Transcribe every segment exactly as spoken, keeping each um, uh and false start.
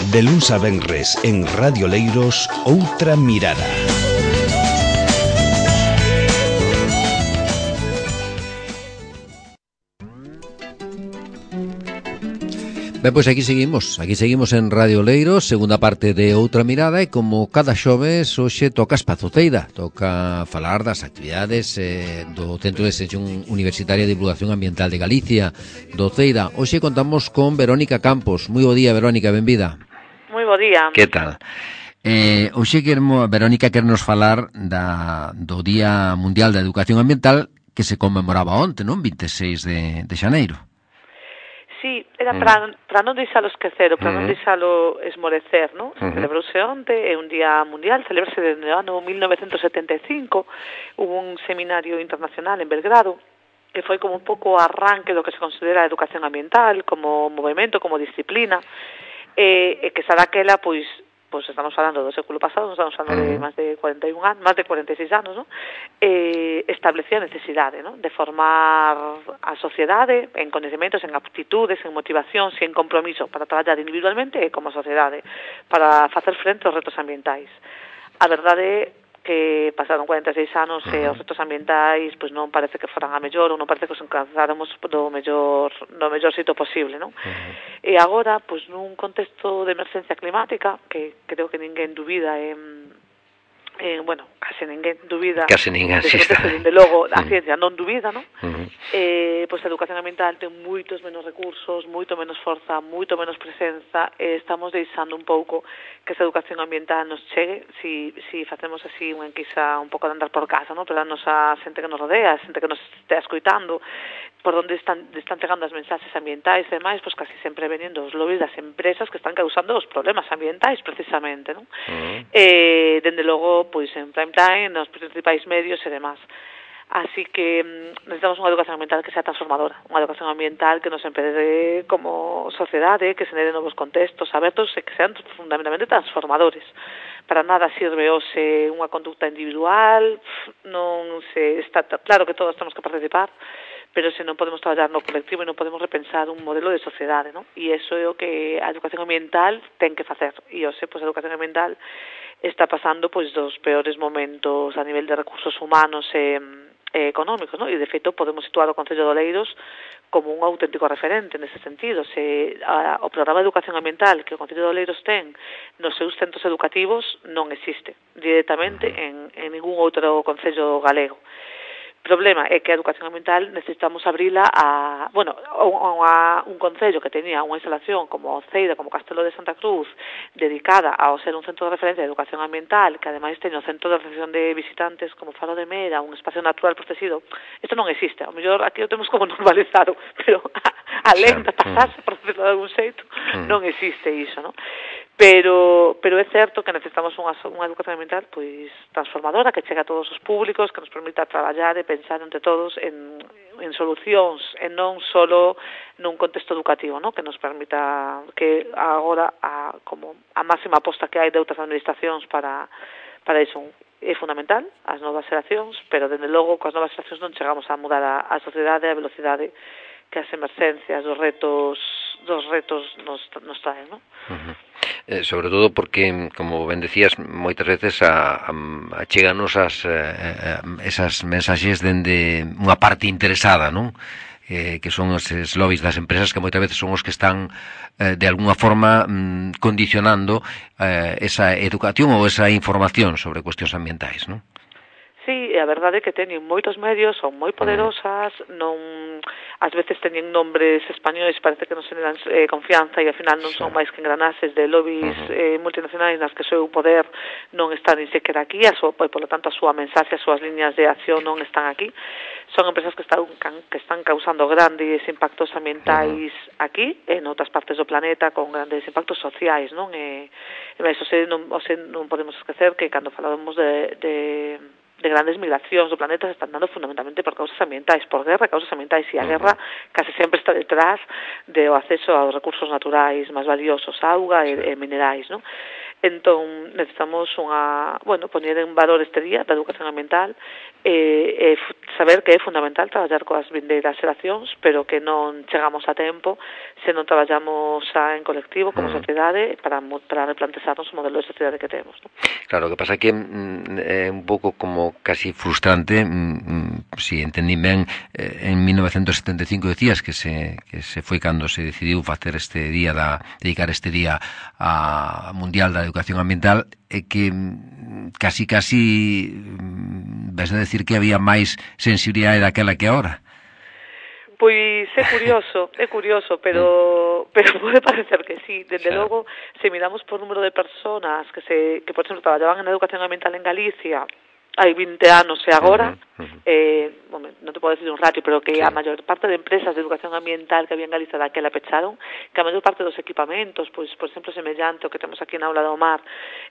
De luns a venres en Radio Leiros, Outra Mirada. Ben, pois aquí seguimos, aquí seguimos en Radio Leiros, segunda parte de Outra Mirada, e como cada xoves, hoxe toca Espazo Ceida, toca falar das actividades eh, do Centro de Extensión Universitaria de Divulgación Ambiental de Galicia, do Ceida. Hoxe contamos con Verónica Campos. Moi bo día, Verónica, benvida. Moi bo día. Que tal? Eh, hoxe queremos, Verónica quernos falar da, do Día Mundial da Educación Ambiental que se conmemoraba onte, non? vinte e seis de, de xaneiro. Sí, era para, para non deixalo esquecer, para non deixalo esmorecer, non? Se celebrouse onte, é un día mundial, celebrase desde o ano mil novecentos setenta e cinco, hubo un seminario internacional en Belgrado, que foi como un pouco arranque do que se considera a educación ambiental, como movimento, como disciplina, e, e que xa daquela, pois, pois estamos falando do século pasado, estamos falando de máis de cuarenta e un anos, máis de cuarenta e seis anos, non? Eh, establecía a necesidade, non? De formar a sociedade en coñecementos, en aptitudes, en motivacións e en compromiso para traballar individualmente e como sociedade para facer frente aos retos ambientais. A verdade é que pasaron cuarenta e seis anos e os retos ambientais pois non parece que foran a mellor ou non parece que os alcanzáramos do mellor do mellor xeito posible, non? Uh-huh. E agora, pois nun contexto de emergencia climática, que creo que ninguén dubida en Eh, bueno, case ninguén dubida case ninguén, sí, está. Dende logo, a uh-huh. ciencia non dubida, non? Uh-huh. Eh, pois a educación ambiental ten moitos menos recursos, moito menos forza, moito menos presenza, e estamos deixando un pouco que esa educación ambiental nos chegue si, si facemos así unha enquisa un pouco de andar por casa, non? Pero a nosa xente que nos rodea, a xente que nos estea escoitando, por onde están, están chegando as mensaxes ambientais e demais, pois casi sempre veniendo os lobbies das empresas que están causando os problemas ambientais precisamente, non? Uh-huh. Eh, dende logo, pois en prime time, nos principais medios e demás. Así que mm, necesitamos unha educación ambiental que sea transformadora, unha educación ambiental que nos empece como sociedade, que se nere novos contextos abertos e que sean fundamentalmente transformadores. Para nada sirve hoxe unha conducta individual, non se está claro que todos temos que participar, pero se non podemos traballar no colectivo e non podemos repensar un modelo de sociedade, non? E iso é o que a educación ambiental ten que facer. E hoxe, pois, a educación ambiental está pasando, pois, dos peores momentos a nivel de recursos humanos e, e económicos, non? E, de feito, podemos situar o Concello de Oleiros como un auténtico referente nese sentido. Se a, o programa de educación ambiental que o Concello de Oleiros ten nos seus centros educativos non existe directamente en, en ningún outro concello galego. O problema é que a educación ambiental necesitamos abrila a, bueno, a, a un concello que tenía unha instalación como Ceida, como Castelo de Santa Cruz, dedicada ao ser un centro de referencia de educación ambiental, que ademais teño un centro de recepción de visitantes como Faro de Mera, un espacio natural protegido. Isto non existe, ao mellor aquí o temos como normalizado, pero alén de pasarse, por decirlo de algún xeito, non existe iso, non? Pero pero é certo que necesitamos unha, unha educación ambiental pois transformadora, que chegue a todos os públicos, que nos permita traballar e pensar entre todos en, en solucións e non solo nun contexto educativo, ¿no? Que nos permita que agora a, como a máxima aposta que hai de outras administracións para, para iso é fundamental, as novas xeracións, pero dende logo coas novas xeracións non chegamos a mudar a, a sociedade a velocidade que as emerxencias, os retos dos retos nos, nos traen, ¿no? Uh-huh. Eh, sobre todo porque, como ben decías, moitas veces a, a, a cheganos as, eh, esas mensaxes dende unha parte interesada, non? Eh, que son os lobbies das empresas que moitas veces son os que están eh, de alguna forma mm, condicionando eh, esa educación ou esa información sobre cuestións ambientais, non? Sí, e a verdade é que teñen moitos medios, son moi poderosas, non ás veces teñen nombres españoles, parece que non se dan eh, confianza e ao final non son máis que engranases de lobbies uh-huh. eh, multinacionais nas que o seu poder non está ni sequera aquí, a súa, e polo tanto a súa mensaxe, as súas liñas de acción non están aquí. Son empresas que están, que están causando grandes impactos ambientais uh-huh. aquí e en outras partes do planeta con grandes impactos sociais, non? E, e máis, ose, non, ose, non podemos esquecer que cando falamos de, de de grandes migracións do planeta se están dando fundamentalmente por causas ambientais, por guerra, causas ambientais, e a guerra case sempre está detrás do acceso aos recursos naturais máis valiosos, auga e, e minerais, non? Entón, necesitamos unha, bueno, poñer en valor este día da educación ambiental eh, eh, saber que é fundamental traballar coas vindeiras xeracións, pero que non chegamos a tempo se non traballamos xa en colectivo como mm. sociedade para, para replantexarnos o modelo de sociedade que temos, ¿no? Claro, o que pasa é que mm, é un pouco como casi frustrante, mm, si entendí ben, eh, en mil novecentos setenta e cinco decías que se, que se foi cando se decidiu facer este día, da, dedicar este día a Mundial da Educación Ambiental, é que casi casi ves a decir que había máis sensibilidade daquela que agora. Pois é curioso, é curioso, pero pero pode parecer que sí. Desde claro. Logo, se miramos por número de personas que se que por exemplo traballaban en educación ambiental en Galicia hai vinte anos e agora, uh -huh, uh -huh. eh, bueno, non te podo decir un ratio, pero que sí. A maior parte de empresas de educación ambiental que había en Galicia daquela pecharon, que a maior parte dos equipamentos, pois, por exemplo, semellante o que temos aquí na Aula do Mar,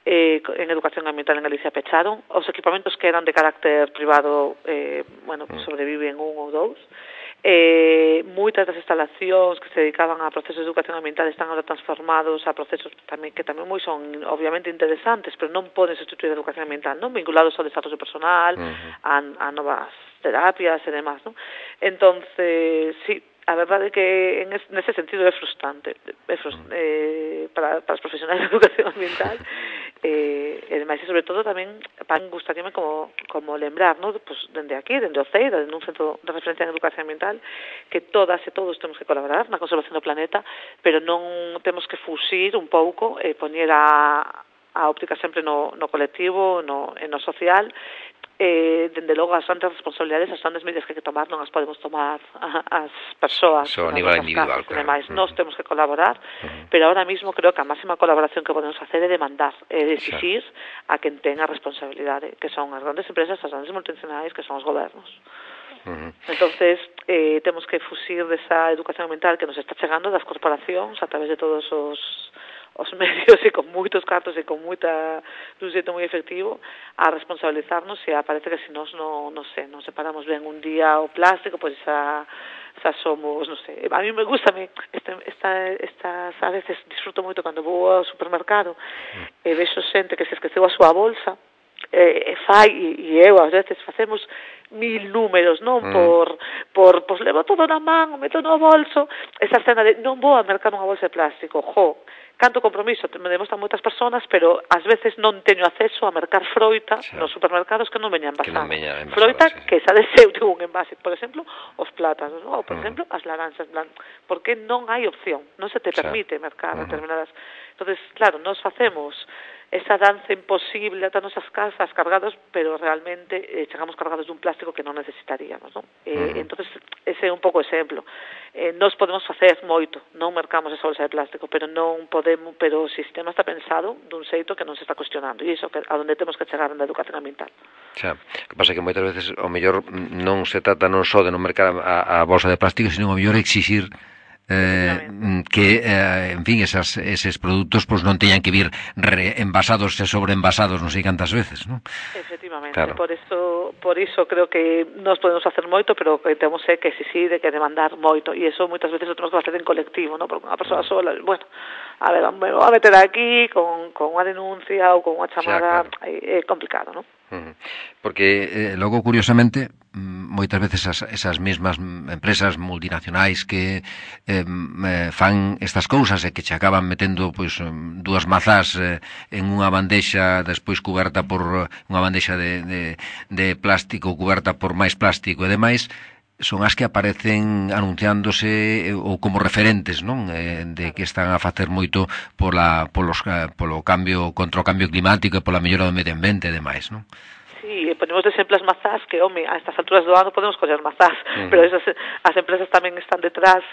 eh, en educación ambiental en Galicia pecharon, os equipamentos que eran de carácter privado, eh, bueno, pues sobreviven un ou dous, Eh, moitas das instalacións que se dedicaban a procesos de educación ambiental están agora transformados a procesos tamén que tamén moi son obviamente interesantes, pero non poden sustituir a educación ambiental, non vinculados ao desarrollo personal, uh -huh. a, a novas terapias e demás, non? Entonces, sí, a verdade é que en es, nese sentido é frustrante, é frustrante eh, para, para os profesionais de educación ambiental, eh, e demais, e sobre todo tamén para gustaríame como, como lembrar, ¿no? Pues, dende aquí, dende o CEI, dende un centro de referencia en educación ambiental, que todas e todos temos que colaborar na conservación do planeta, pero non temos que fusir un pouco e eh, poñer a, a óptica sempre no, no colectivo, no, no social. Eh, dende logo as grandes responsabilidades, as grandes medidas que hai que tomar non as podemos tomar as persoas so, a nivel individual, claro. Demais, uh -huh. Nós temos que colaborar, uh -huh. pero ahora mismo creo que a máxima colaboración que podemos hacer é demandar, é de exigir sí. a quen ten a responsabilidade, que son as grandes empresas, as grandes multinacionais, que son os gobernos. Uh -huh. Entonces, eh, temos que fusir desa educación ambiental que nos está chegando das corporacións a través de todos os os medios e con moitos cartos e con moita dun xeito moi efectivo a responsabilizarnos e parece que se nos non, non sei, non separamos ben un día o plástico, pois xa, xa somos, non sei, a mí me gusta me, esta, esta, estas a veces disfruto moito cando vou ao supermercado e vexo xente que se esqueceu a súa bolsa e, e fai, e eu ás veces facemos mil números, non? Mm. Por, por, pois levo todo na man, meto no bolso, esa escena de non vou a mercar unha bolsa de plástico, jo, canto compromiso me demostran moitas persoas, pero ás veces non teño acceso a mercar froita sí. nos supermercados que non veñan envasada. Non froita sí. que xa de seu ten un envase, por exemplo, os plátanos, ¿no? Ou por mm. exemplo, as laranxas, porque non hai opción, non se te permite sí. mercar mm. determinadas. Entonces, claro, nos facemos esa danza imposible ata nosas casas cargados, pero realmente eh, chegamos cargados dun plástico que non necesitaríamos, non? Eh, uh -huh. Entonces, ese é un pouco exemplo. Eh, nos podemos facer moito, non mercamos esa bolsa de plástico, pero non podemos, pero o sistema está pensado dun xeito que non se está cuestionando, e iso que a onde temos que chegar na educación ambiental. Xa, que pasa que moitas veces o mellor non se trata non só de non mercar a, a bolsa de plástico, sino o mellor exixir Eh, que, eh, en fin, esas, eses produtos pues non teñan que vir re envasados e sobreenvasados non sei cantas veces, non? Efectivamente, claro. por eso por iso creo que nos podemos facer moito, pero que temos que exigir e que demandar moito, e eso moitas veces o temos que facer en colectivo, non? Porque unha persoa sola, bueno, a ver, me vou a meter aquí con, con unha denuncia ou con unha chamada, xa, claro. É complicado, non? Uh-huh. Porque eh, logo, curiosamente, moitas veces as, esas mesmas empresas multinacionais que eh, fan estas cousas e que che acaban metendo pois dúas mazás eh, en unha bandexa despois cuberta por unha bandexa de, de, de plástico cuberta por máis plástico e demais, son as que aparecen anunciándose ou como referentes, non? Eh, de que están a facer moito pola, polos, polo cambio, contra o cambio climático e pola mellora do medio ambiente e demais, non? Sí, ponemos de exemplo as mazás, que, home, a estas alturas do ano podemos coller mazás, uh-huh. pero esas, as empresas tamén están detrás,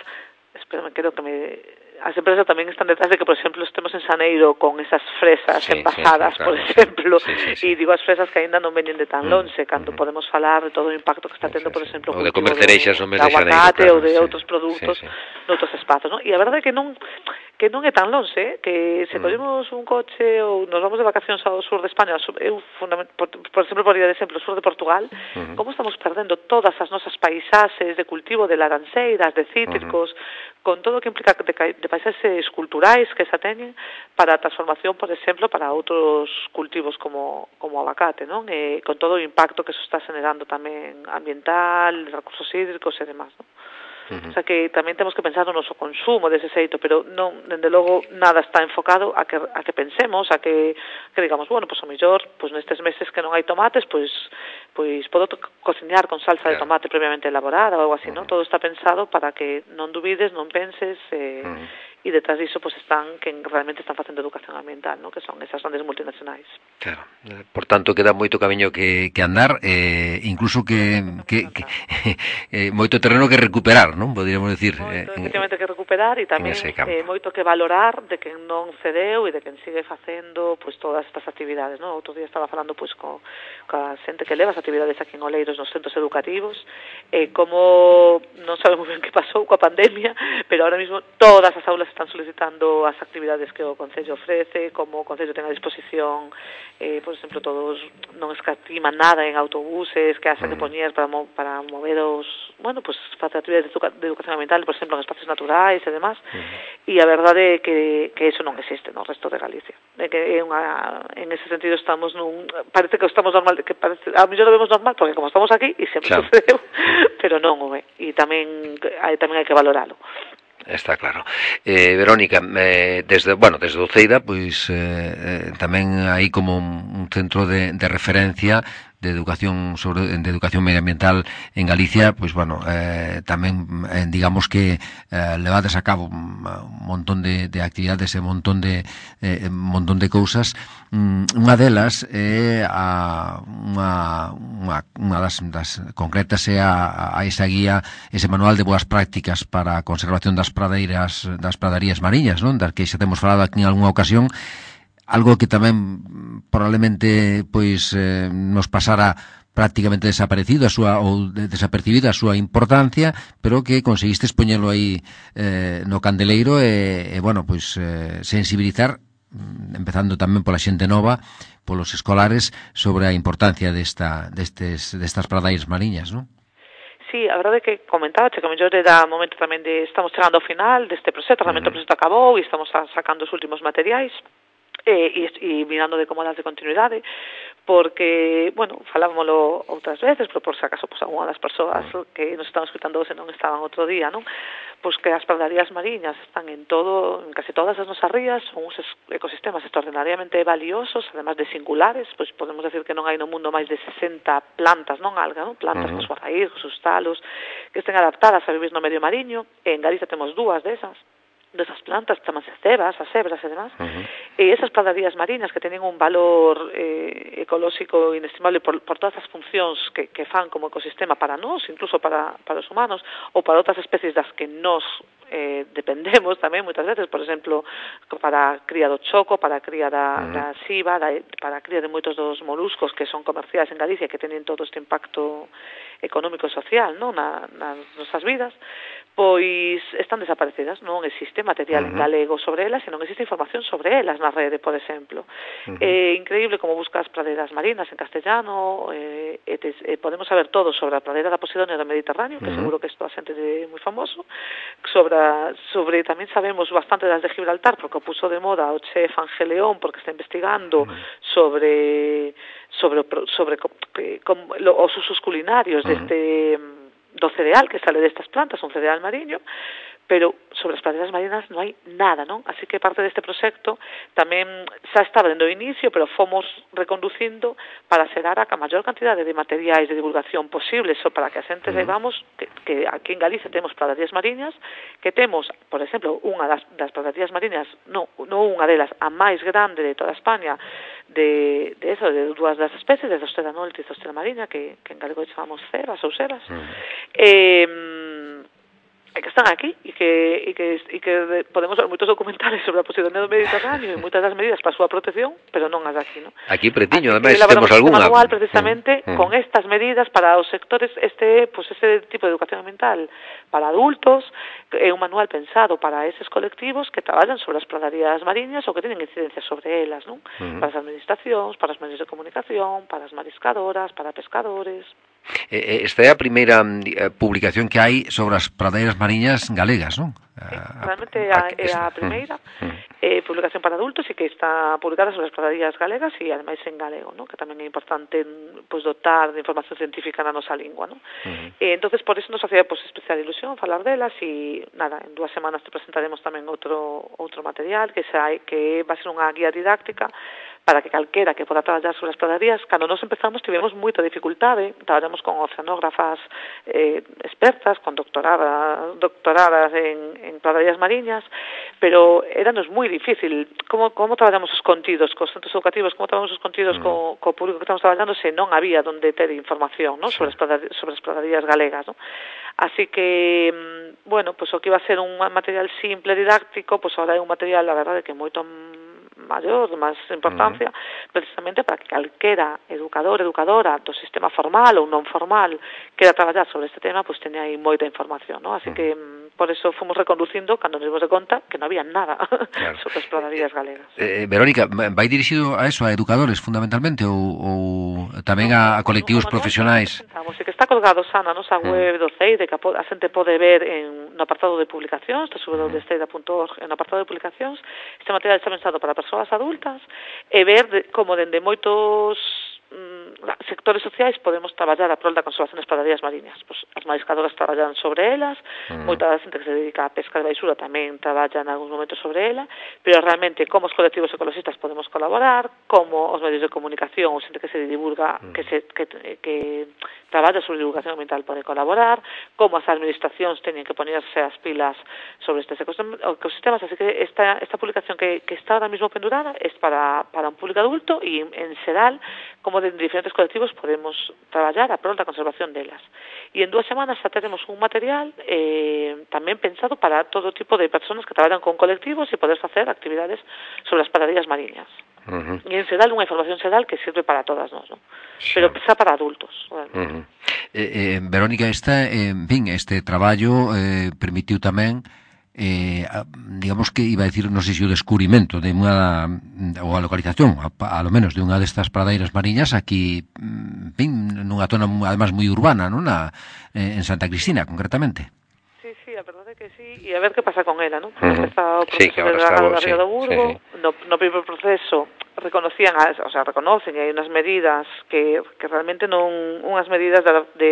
espérame, creo que me... As empresas tamén están detrás de que, por exemplo, estemos en Xaneiro con esas fresas sí, envasadas, sí, sí, claro. por exemplo, sí, sí, sí. e digo as fresas que aínda non veñen de tan lonxe, cando uh-huh. podemos falar de todo o impacto que está tendo, por exemplo, o de comer cereixas no mes de Xaneiro, claro, ou de sí. outros produtos sí, sí. noutros espazos, non? E a verdade é que non que non é tan longe, eh? Que se collemos un coche ou nos vamos de vacacións ao sur de España, eu, por, por exemplo, por ir de exemplo, o sur de Portugal, uh-huh. como estamos perdendo todas as nosas paisaxes de cultivo de laranxeiras, de cítricos, uh-huh. con todo o que implica de, de paisaxes culturais que se teñen para a transformación, por exemplo, para outros cultivos como, como o abacate, non? E con todo o impacto que eso está generando tamén ambiental, recursos hídricos e demás, non? Uh-huh. O sea que tamén temos que pensar no noso consumo dese xeito, pero non, dende logo, nada está enfocado a que, a que pensemos, a que, que digamos, bueno, pois pues, o mellor, pois pues, nestes meses que non hai tomates, pois pois podo cociñar con salsa claro. de tomate previamente elaborada ou algo así, uh-huh. non? Todo está pensado para que non dubides, non penses, eh, uh-huh. e detrás disso pois pues, están que realmente están facendo educación ambiental, non? Que son esas grandes multinacionais. Claro. Por tanto, queda moito camiño que, que andar, eh, incluso que, que, que eh, moito terreno que recuperar, non? Podríamos decir. Moito, eh, efectivamente, que recuperar e tamén eh, moito que valorar de quen non cedeu e de quen sigue facendo pois todas estas actividades, non? Outro día estaba falando pois co, coa xente que leva as actividades aquí en Oleiros nos centros educativos, e eh, como non sabemos ben que pasou coa pandemia, pero ahora mismo todas as aulas están solicitando as actividades que o Concello ofrece, como o Concello ten a disposición, eh, por exemplo, todos non escatiman nada en autobuses que hacen de poñer para, mo, para mover os, bueno, pues facer actividades de, educa, de educación ambiental, por exemplo, en espacios naturais e demás, uh-huh. e a verdade é que, que eso non existe no resto de Galicia. É que é unha, en ese sentido estamos nun, parece que estamos normal, que parece, a mellor lo vemos normal, porque como estamos aquí, e sempre claro. sucedeu, pero non o é, e tamén, hai, tamén hai que valoralo. Está claro. Eh, Verónica, eh, desde, bueno, desde Uceira, pois eh, eh, tamén hai como un, un centro de, de referencia de educación sobre de educación medioambiental en Galicia, pois bueno, eh, tamén eh, digamos que eh, levades a cabo un, un montón de, de actividades e un montón de eh, un montón de cousas. Mm, unha delas é a unha unha, unha das, das concretas é a, a esa guía, ese manual de boas prácticas para a conservación das pradeiras, das pradarías mariñas, non? Das que xa temos falado aquí en algunha ocasión. Algo que tamén probablemente pois eh, nos pasara prácticamente desaparecido a súa ou desapercibida a súa importancia, pero que conseguistes poñelo aí eh, no candeleiro e, e bueno, pois eh, sensibilizar, empezando tamén pola xente nova, polos escolares, sobre a importancia desta destes destas pradeiras mariñas, non? Sí, a verdade é que comentaba que a mellor era momento tamén de estamos chegando ao final deste proxecto, realmente uh-huh. o proxecto acabou e estamos sacando os últimos materiais. E, e, e mirando de como das de continuidade, porque, bueno, falámoslo outras veces, pero por se acaso, pues, alguna das persoas que nos están escutando se non estaban outro día, non? Pois que as pradarías mariñas están en todo, en casi todas as nosas rías, son uns ecosistemas extraordinariamente valiosos, además de singulares, pois podemos decir que non hai no mundo máis de sesenta plantas, non alga, non? Plantas, uh-huh. cos guarraíos, os talos, que estén adaptadas a vivir no medio mariño, e en Galicia temos dúas desas, desas plantas, chamanse cebas, as cebras e demás, uh-huh. e esas pradarias mariñas que teñen un valor eh, ecolóxico inestimable por, por todas as funcións que, que fan como ecosistema para nós, incluso para, para os humanos, ou para outras especies das que nós eh, dependemos tamén moitas veces, por exemplo, para a cría do choco, para a cría da, uh-huh. da xiva, da, para a cría de moitos dos moluscos que son comerciais en Galicia, que teñen todo este impacto económico e social, non, na, nas nosas vidas, pois están desaparecidas, non existe material uh-huh. en galego sobre elas e non existe información sobre elas na rede, por exemplo. Uh-huh. É increíble como buscas praderas marinas en castellano, eh, e te, eh, podemos saber todo sobre a pradera da Posidonia do Mediterráneo, que uh-huh. seguro que isto a xente de moi famoso, sobre, sobre tamén sabemos bastante das de Gibraltar, porque o puso de moda o chef Ángel León, porque está investigando uh-huh. sobre sobre sobre como, lo, os usos culinarios uh-huh. deste do cereal que sale destas plantas, un cereal mariño, pero sobre as praderas marinas non hai nada, non? Así que parte deste proxecto tamén xa estaba dentro do inicio, pero fomos reconducindo para xerar a maior cantidade de materiais de divulgación posibles, so para que a xente saibamos que, que aquí en Galicia temos praderas mariñas, que temos, por exemplo, unha das, das praderas mariñas, non, non unha delas, a máis grande de toda España, de, de eso, de dúas das especies, de Zostera norte e Zostera mariña, que, que en galego chamamos cebas ou sebas, mm. eh, que están aquí e que, e que, e que podemos ver moitos documentales sobre a posición do Mediterráneo e moitas das medidas para a súa protección, pero non as aquí, non? Aquí pretiño, ademais, temos algunha manual precisamente mm, mm. con estas medidas para os sectores, este, pues este tipo de educación ambiental para adultos, é un manual pensado para eses colectivos que traballan sobre as praderías mariñas ou que teñen incidencia sobre elas, non? Mm. Para as administracións, para os medios de comunicación, para as mariscadoras, para pescadores. Esta é a primeira publicación que hai sobre as praderas mariñas galegas, non? Sí, realmente é a, é a primeira eh, publicación para adultos e que está publicada sobre as praderías galegas e ademais en galego, ¿no? Que tamén é importante pues, dotar de información científica na nosa lingua, ¿no? Uh-huh. E entonces por eso nos hacía pues, especial ilusión falar delas e nada, en dúas semanas te presentaremos tamén outro outro material que xa que va a ser unha guía didáctica para que calquera que poda traballar sobre as praderías. Cando nos empezamos tivemos moita dificultade, traballamos con oceanógrafas eh, expertas, con doctoradas, doctoradas en, en praderías mariñas, pero éranos moi difícil como, como traballamos os contidos cos centros educativos, como traballamos os contidos mm. co, co público que estamos traballando se non había donde ter información, ¿no? sobre, as praderías, sobre as praderías galegas, ¿no? Así que, bueno, pues o que iba a ser un material simple, didáctico, pues ahora é un material, la verdade, que moito maior, de máis importancia, uh-huh. precisamente para que calquera educador, educadora do sistema formal ou non formal queira traballar sobre este tema, pois pues, teña aí moita información, ¿no? Así uh-huh. que por eso fomos reconducindo cando nos dimos de conta que non había nada claro. sobre as praderías galegas. Eh, Verónica, vai dirixido a eso, a educadores fundamentalmente ou, ou tamén no, a, a colectivos no, no, profesionais? Vamos, que está colgado xa na nosa web do CEIDE, que a xente pode ver en, no apartado de publicacións, w w w punto ceide punto org, en o apartado de publicacións. Este material está pensado para persoas adultas e ver de, como dende moitos mm, sectores sociais podemos traballar a prol da conservación das praderías mariñas. Pues, as mariscadoras traballan sobre elas, mm. moita da xente que se dedica a pesca de baixura tamén traballa en algúns momentos sobre ela, pero realmente como os colectivos ecologistas podemos colaborar, como os medios de comunicación ou xente que se divulga, mm. que se que, que traballa sobre divulgación ambiental pode colaborar, como as administracións teñen que ponerse as pilas sobre estes ecosistemas, así que esta, esta publicación que, que está ahora mismo pendurada es para, para un público adulto e en xeral, como de diferentes colectivos podemos traballar a prol da conservación delas. E en dúas semanas xa teremos un material eh, tamén pensado para todo tipo de personas que traballan con colectivos e poder facer actividades sobre as praderías mariñas. Uh-huh. E en xeral unha información xeral que sirve para todas nós, ¿no? Sí. Pero xa para adultos. Uh-huh. eh, eh, Verónica, esta, eh, en fin, este traballo eh, permitiu tamén eh, digamos que iba a decir, non sei se o descubrimento de unha, ou a localización a, a lo menos de unha destas pradeiras mariñas aquí, en fin, nunha zona además moi urbana, non? Na, eh, en Santa Cristina, concretamente. Sí, sí, a verdade que sí, e a ver que pasa con ela, non? Porque uh-huh. está o proceso sí, de dragado sí, do Burgo, sí, sí. No, no primeiro proceso reconocían, as, o sea, reconocen e hai unhas medidas que, que realmente non, unhas medidas de, de,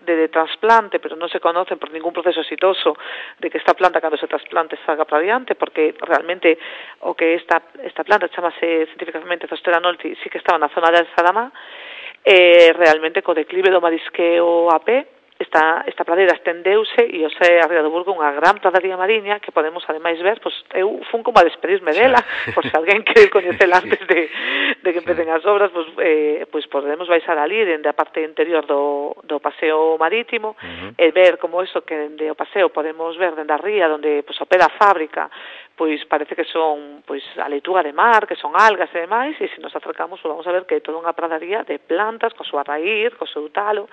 de, de trasplante, pero non se conocen por ningún proceso exitoso de que esta planta, cando se trasplante, salga para adiante, porque realmente o que esta, esta planta chamase científicamente Zostera nolti, sí que estaba na zona de Saramá, eh, realmente co declive do marisqueo a pé, esta, esta pradeira estendeuse e o xe a Ría do Burgo unha gran pradería mariña que podemos ademais ver, pois eu fun como a despedirme dela, por se alguén quere coñecela antes de, de que empecen as obras, pois, eh, pois podemos baixar ali dende a parte interior do, do paseo marítimo uh-huh. e ver como eso que dende o paseo podemos ver dende a ría onde pois, opera a fábrica, pois parece que son pois a leituga de mar, que son algas e demais, e se nos acercamos pois, vamos a ver que é toda unha pradería de plantas, co súa raíz, co seu talo,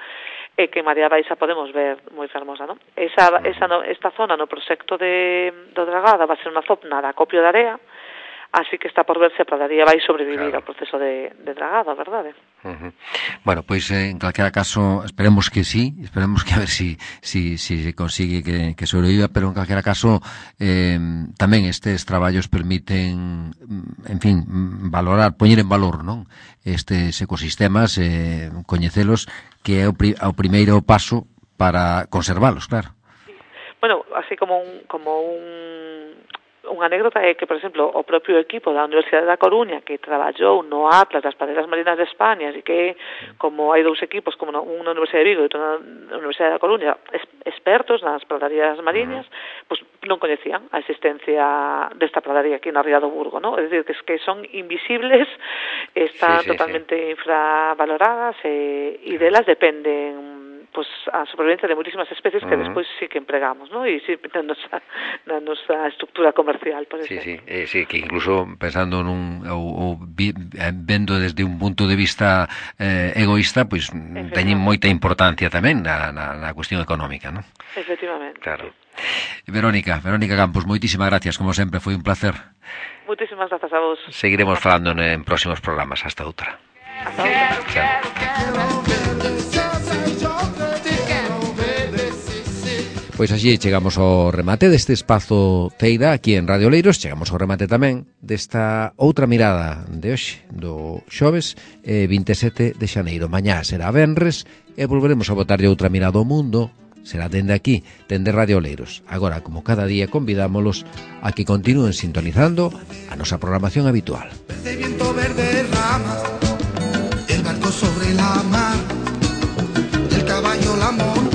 e que María Baixa podemos ver moi fermosa, non? Esa, esa no, esta zona no proxecto de, do Dragada va a ser unha zona de acopio de area, así que está por ver se a pradería vai sobrevivir claro. ao proceso de, de dragada, verdade? Uh-huh. Bueno, pois pues, eh, en calquera caso esperemos que sí, esperemos que a ver si, si, si se consigue que, que sobreviva, pero en calquera caso eh, tamén estes traballos permiten, en fin, valorar, poñer en valor, non? Estes ecosistemas, eh, coñecelos, que é o, pri, o primeiro paso para conservalos, claro. Sí. Bueno, así como un, como un unha anécdota é que, por exemplo, o propio equipo da Universidade da Coruña que traballou no Atlas das praderas marinas de España e que, como hai dous equipos, como un na Universidade de Vigo e outro na Universidade da Coruña, expertos nas praderías mariñas, pois non coñecían a existencia desta pradería aquí na Ría do Burgo, ¿no? É dicir, que, que son invisibles, están sí, sí, totalmente sí. infravaloradas e, e delas dependen pues, a supervivencia de moitísimas especies que Uh-huh. despois sí que empregamos, ¿no? E sí, na nosa, na nosa estructura comercial, por Sí, exemplo. sí, eh, sí, que incluso pensando nun ou, ou vi, eh, vendo desde un punto de vista eh, egoísta, pois pues, teñen moita importancia tamén na, na, na cuestión económica, ¿no? Efectivamente. Claro. Sí. Verónica, Verónica Campos, moitísimas gracias, como sempre, foi un placer. Moitísimas grazas a vos. Seguiremos falando en próximos programas. Hasta outra. Hasta outra. Chao. Pois así chegamos ao remate deste espazo Feira aquí en Radio Leiros. Chegamos ao remate tamén desta outra mirada de hoxe, do xoves eh, vinte e sete de xaneiro. Mañá será venres e volveremos a botarlle outra mirada ao mundo. Será dende aquí, dende Radio Leiros. Agora, como cada día, convidámolos a que continúen sintonizando a nosa programación habitual. Verde viento, verde rama, el barco sobre la mar, el caballo, la mona.